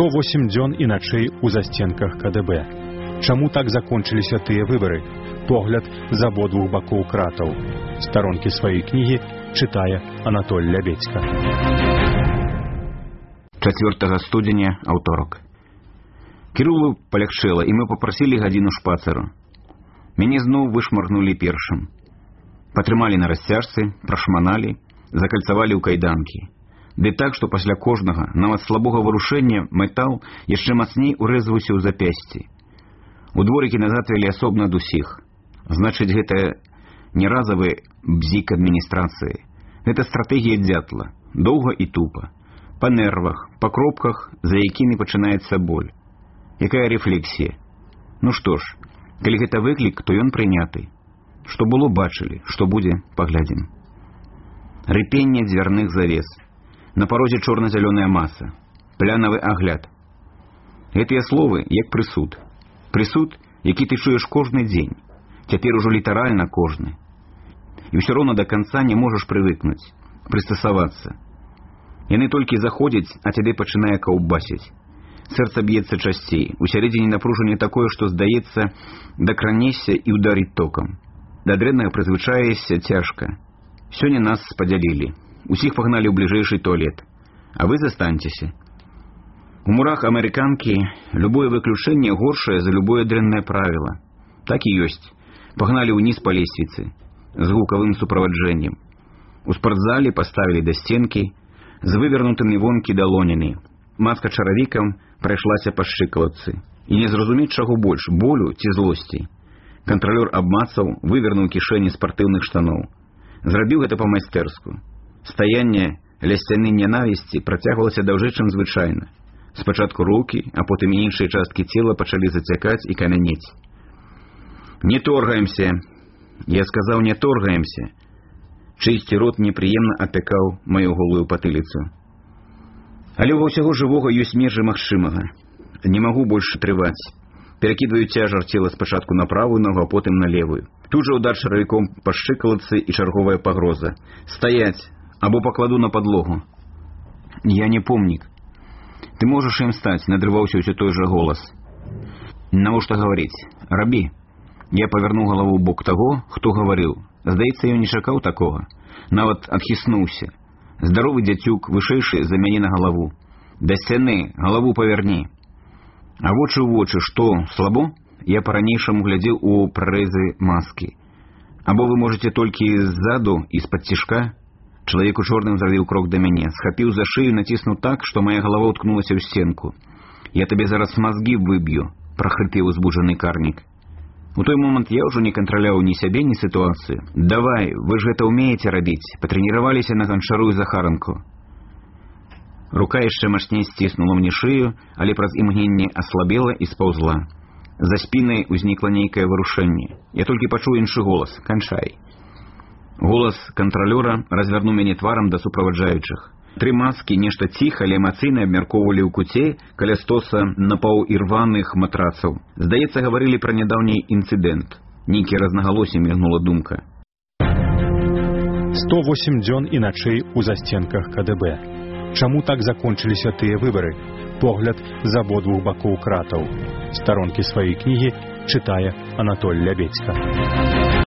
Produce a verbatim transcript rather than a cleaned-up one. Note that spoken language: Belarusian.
сто восемь дзён і начэй у засценках ка дэ бэ. Чаму так закончыліся тыя выбары? Погляд з абодвух бакоў кратаў. Старонкі сваёй кнігі чытае Анатоль Лябедзька. чацвёртага студзеня, аўторак. Кірылу палягчэла, і мы папрасілі гадзіну шпацару. Мяне зноў вышмаргнулі першым. Патрымалі на расцяжцы, прашманалі, закальцавалі ў кайданкі. Ды так, што пасля кожнага, нават слабога варушэння, метал яшчэ мацней урэзваўся ў запясці. У дворыкі назад вялі асобна ад усіх. Значыць, гэта не разавы бзік адміністрацыі. Гэта стратэгія дзятла, доўга і тупа. Па нервах, па кропках, за якімі пачынаецца боль. Якая рэфлексія? Ну што ж, калі гэта выклік, то ён прыняты. Што было, бачылі, што будзе, паглядзім. Рыпенне дзвярных завес. На парозе чорна-зялёная маса. Плянавы агляд. Гэтыя словы, як прысуд. Прысуд, які ты чуеш кожны дзень. Цяпер ужо літаральна кожны. І ўсё роўна да канца не можаш прывыкнуць, прыстасавацца. Яны толькі заходзяць, а цябе пачынае каўбасіць. Сэрца б'ецца часцей, усярэдзіне напружанне такое, што, здаецца, дакранешся і ўдарыць токам. Да дрэннага прызвычаешся цяжка. Сёння нас падзялілі. Усіх пагналі ў бліжэйшы туалет. А вы застаньцеся. У мурах амерыканкі любое выключэнне горшае за любое дрэннае правіла. Так і ёсць. Пагналі ўніз па лесвіцы з гукавым суправаджэннем. У спартзале паставілі да сценкі з вывернутымі вонкі далонямі. Маска чаравікам прайшлася па шчыкалатцы. І не зразумець чаго больш, болю ці злосці. Кантралёр абмацаў, вывернуў кішэні спартыўных штаноў. Зрабіў гэта па-майстэрску. Стаянне ля сцяны нянавісці працягвалася даўжэй, чым звычайна. Спачатку рукі, а потым і іншыя часткі цела пачалі зацякаць і камянець. «Не торгаемся!» Я сказаў, не торгаемся. Чыйсьці рот непрыемна апякаў маю голую патыліцу. Але ва ўсяго жывога ёсць межы магчымага. Не магу больш трываць. Перакідваю цяжар цела спачатку на правую ногу, а потым на левую. Тут жа удар чаравіком па шчыкалатцы і чарговая пагроза. «Стаять! Або пакладу на падлогу!» «Я не помнік!» «Ты можаш ім стаць!» — надрываўся ўсё той жа голас. «Навошта гаварыць? Рабі!» Я павярнуў галаву ў бок таго, хто гаварыў. Здаецца, ён не чакаў такога. Нават адхіснуўся. Здаровы дзяцюк, вышэйшы за мяне на галаву. «Да сцяны! Галаву павярні!» А вочы ў вочы, што, слабо? Я па-ранейшаму глядзеў у прарэзы маскі. Або вы можаце толькі ззаду і з-пад цішка? Чалавек у чорным зрабіў крок да мяне, схапіў за шыю, націснуў так, што мая галава ўткнулася ў сценку. «Я табе зараз мазгі выб'ю!» — прахрыпеў узбуджаны карнік. У той момант я ўжо не кантраляў ні сябе, ні сітуацыю. «Давай, вы ж гэта ўмееце рабіць, патрэніраваліся на ганчару і захаранку». Рука яшчэ мацней сціснула мне шыю, але праз імгненне аслабела і спаўзла. За спінай узнікла нейкае варушэнне. Я толькі пачуў іншы голас: «Канчай». Голас кантралёра развярнуў мяне тварам да суправаджаючых. Тры маскі нешта ціха, але эмацыйна абмяркоўвалі ў куце каля стоса напаўірваных матрацаў. Здаецца, гаварылі пра нядаўні інцыдэнт. Нейкі разнагалосе мігнула думка. сто восемь дзён і начэй у засценках ка дэ бэ. Чаму так закончыліся тыя выбары? Погляд з абодвух бакоў кратаў. Старонкі сваёй кнігі чытае Анатоль Лябедзька.